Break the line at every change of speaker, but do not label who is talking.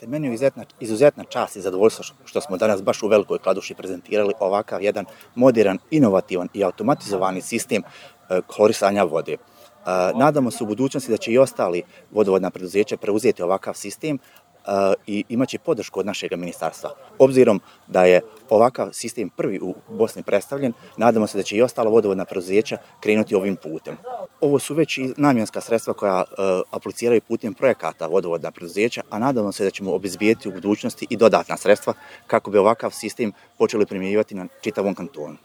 jeste meni izuzetna čast i zadovoljstvo što smo danas baš u Velikoj Kladuši prezentirali ovakav jedan modern, inovativan i automatizovani sistem klorisanja vode. Nadamo se u budućnosti da će i ostali vodovodna preduzeća preuzeti ovakav sistem i imaće podršku od našeg ministarstva. Obzirom da je ovakav sistem prvi u Bosni predstavljen, nadamo se da će i ostala vodovodna preduzeća krenuti ovim putem. Ovo su već i namjenska sredstva koja apliciraju putem projekata vodovodna preduzeća, a nadamo se da ćemo obezbijeti u budućnosti i dodatna sredstva kako bi ovakav sistem počeli primjenjivati na čitavom kantonu.